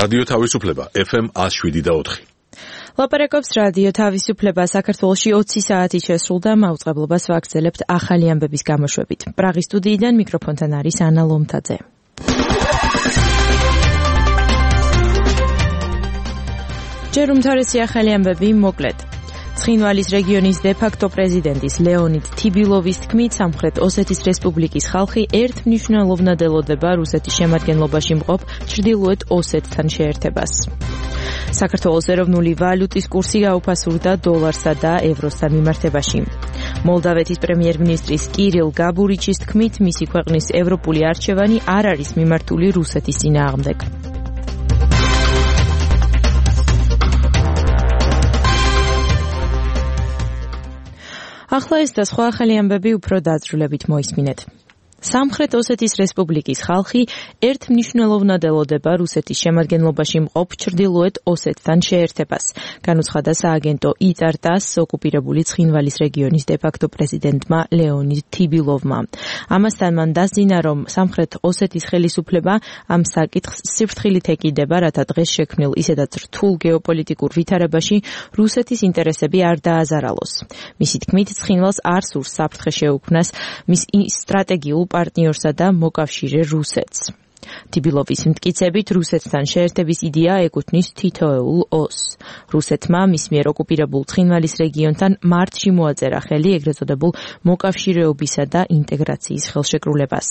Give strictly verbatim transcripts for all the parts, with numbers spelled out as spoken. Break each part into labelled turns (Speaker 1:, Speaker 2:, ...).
Speaker 1: რადიო თავისუფლება ეფ ემ ათს შვიდი და ოთხი.
Speaker 2: ლაპარაკობს რადიო თავისუფლება. საქართველოში ოცი საათი შესრულდა, მაუწყებლობას ვაგრძელებთ ახალი ამბების გამოშვებით. პრაღის სტუდიიდან მიკროფონთან არის ანა ლომთაძე. ჯერ უმთავრესი ახალი ამბები მოკლედ. ცხინვალის რეგიონის დე-ფაქტო პრეზიდენტის ლეონიდ თიბილოვის თქმით, სამხრეთ ოსეთის რესპუბლიკის ხალხი ერთ მნიშვნელოვნად ელოდება რუსეთის შემადგენლობაში მყოფ ჩრდილოეთ ოსეთთან შეერთებას. საქართველოს ეროვნული ვალუტის კურსი გაუფასურდა დოლარსა და ევროსთან მიმართებაში. მოლდავეთის პრემიერ-მინისტრის კირილ გაბურიჩის თქმით, მისი ქვეყნის ევროპული არჩევანი არ არის მიმართული რუსეთის წინააღმდეგ. ახლა ეს და სხვა ახალი ამბები უფრო დაწვრილებით მოისმინეთ. სამხრეთ ოსეთის რესპუბლიკის ხალხი ერთ მნიშვნელოვნად ელოდება რუსეთის შემადგენლობაში მყოფ ჩრდილოეთ ოსეთთან შეერთებას, განუცხადა სააგენტო იტარტას ოკუპირებული ცხინვალის რეგიონის დე-ფაქტო პრეზიდენტმა ლეონიდ თიბილოვმა. ამასთან მან დასძინა, რომ სამხრეთ ოსეთის ხელისუფლება ამ საკითხს სიფრთხილით ეკიდება, რათა დღეს შექმნილ ისედაც რთულ გეოპოლიტიკურ ვითარებაში რუსეთის ინტერესები არ დააზარალოს. მისი თქმით, ცხინვალს არ სურს საფრთხე შეუქმნას მის სტრატეგიულ პარტნიორსა და მოკავშირე რუსეთს. თიბილოვის მტკიცებით, რუსეთთან შეერთების იდეა ეკუთვნის თითოეულ ოსს. რუსეთმა მის მიერ ოკუპირებულ ცხინვალის რეგიონთან მარტში მოაწერა ხელი ეგრეთ წოდებულ მოკავშირეობისა და ინტეგრაციის ხელშეკრულებას.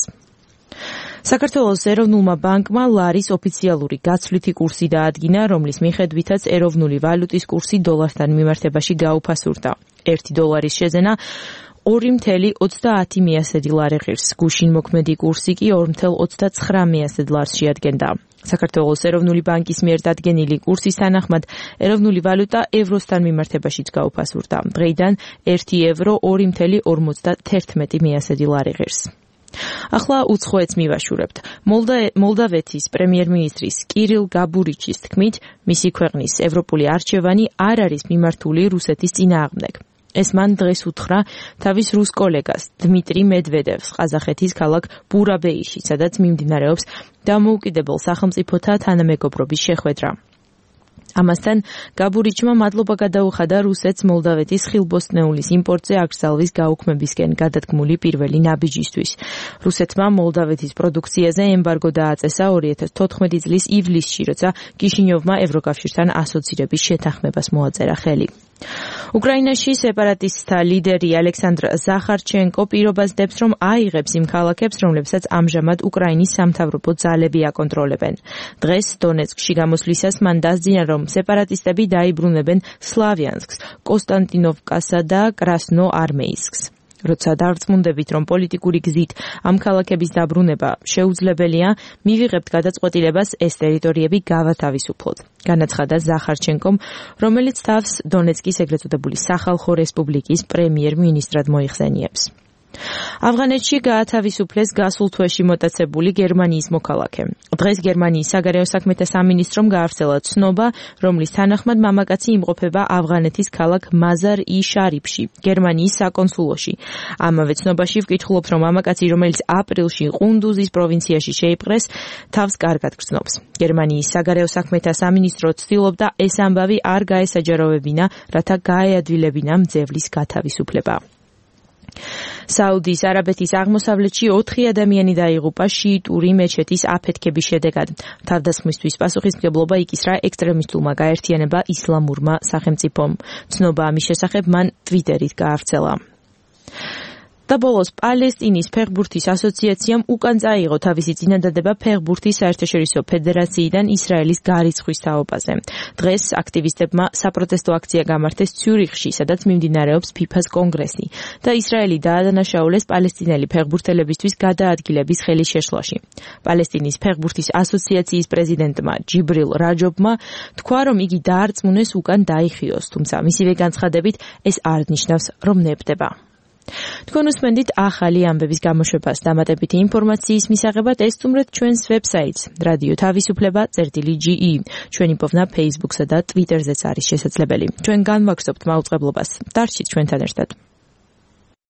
Speaker 2: საქართველოს ეროვნულმა ბანკმა ლარის ოფიციალური გაცვლითი კურსი დაადგინა, რომლის მიხედვითაც ეროვნული ვალუტის კურსი დოლართან მიმართებაში გაუფასურდა. ერთი დოლარის შეძენა ორი მცდარი ოცდაათი მიასედი ლარი ღირს, გუშინ მოქმედი კურსი კი ორი მცდარი ოცდაცხრა მიასედ ლარს შეადგენდა. საქართველოს ეროვნული ბანკის მიერ დადგენილი კურსის თანახმად ეროვნული ვალუტა ევროსთან მიმართებაშიც გაუფასურდა. დღეიდან ერთი ევრო ორი მცდარი ორმოცდათერთმეტი მიასედი ლარი ღირს. ახლა უცხოეთს მივაშურებთ. მოლდავეთის პრემიერ-მინისტრის კირილ გაბურიჩის თქმით, მისი ქვეყნის ევროპული არჩევანი არ არის მიმართული რუსეთის წინააღმდეგ. ეს მან დღეს უთხრა თავის რუს კოლეგას დმიტრი მედვედევს ყაზახეთის ქალაქ ბურაბეიში, სადაც მიმდინარეობს დამოუკიდებელ სახელმწიფოთა თანამეგობრობის შეხვედრა. ამასთან გაბურიჩმა მადლობა გადაუხადა რუსეთს მოლდავეთის ხილბოსტნეულის იმპორტზე აკრძალვის გაუქმებისკენ გადადგმული პირველი ნაბიჯისთვის. რუსეთმა მოლდავეთის პროდუქციაზე ემბარგო დააწესა ორი ათას თოთხმეტი წლის ივლისში, როცა კიშინიოვმა ევროკავშირთან ასოცირების შეთანხმებას მოაწერა ხელი. უკრაინაში სეპარატისტთა ლიდერი ალექსანდრ ზახარჩენკო პირობას დებს, რომ აიღებს იმ ქალაქებს, რომლებსაც ამჟამად უკრაინის სამთავრობო ძალები აკონტროლებენ. დღეს დონეცკში გამოსვლისას მან დასძინა, რომ სეპარატისტები დაიბრუნებენ სლავიანსკს, კოსტანტინოვკასა და კრასნოარმეისკს. როცა დარწმუნდებით, რომ პოლიტიკური გზით ამ ქალაქების დაბრუნება შეუძლებელია, მივიღებთ გადაწყვეტილებას ეს ტერიტორიები გავათავისუფლოთ. განაცხადა ზახარჩენკომ, რომელიც თავს დონეცკის ეგრეთ წოდებული სახალხო რესპუბლიკის პრემიერ-მინისტრად მოიხსენიებს. ავღანეთში გაათავისუფლეს გასულ თვეში მოტაცებული გერმანიის მოქალაქე. დღეს გერმანიის საგარეო საქმეთა სამინისტრომ გაავრცელა ცნობა, რომლის თანახმად მამაკაცი იმყოფება ავღანეთის ქალაქ მაზარ-ი-შარიფში, გერმანიის საკონსულოში. ამავე ცნობაში ვკითხულობთ, რომ მამაკაცი, რომელიც აპრილში ყუნდუზის პროვინციაში შეიპყრეს, თავს კარგად გრძნობს. გერმანიის საგარეო საქმეთა სამინისტრო ცდილობდა ეს ამბავი არ გაესაჯაროვებინა, რათა გაეადვილებინა მძევლის გათავისუფლება. საუდის არაბეთის აღმოსავლეთში ოთხი ადამიანი დაიღუპა შიიტური მეჩეთის აფეთქების შედეგად. თავდასხმისთვის პასუხისმგებლობა იკისრა ექსტრემისტულმა გაერთიანება ისლამურმა სახელმწიფომ. ცნობა ამის შესახებ მან ტვიტერით გაავრცელა. და ბოლოს პალესტინის ფეხბურთის ასოციაციამ უკან წაიღო თავისი წინადადება ფეხბურთის საერთაშორისო ფედერაციიდან ისრაელის გარიცხვის თაობაზე. დღეს აქტივისტებმა საპროტესტო აქცია გამართეს ციურიხში, სადაც მიმდინარეობს ფიფას კონგრესი და ისრაელი დაადანაშაულეს პალესტინელი ფეხბურთელებისთვის გადაადგილების ხელის შეშლაში. პალესტინის ფეხბურთის ასოციაციის პრეზიდენტმა ჯიბრილ რაჯობმა თქვა, რომ იგი დაარწმუნეს უკან დაიხიოს, თუმცა მისივე განცხადებით ეს არ ნიშნავს, რომ ნებდება. თქვენ უსმენთ ახალი ამბების გამოშვებას. დამატებითი ინფორმაციის მისაღებად ესწუმრეთ ჩვენს ვებსაიტს რადიო თავისუფლება წერტილი ჯი ი. ჩვენი პოვნა Facebook-სა და Twitter-ზეც არის შესაძლებელი. ჩვენ განვაგრძობთ მაუწყებლობას. დარჩით ჩვენთან ერთად.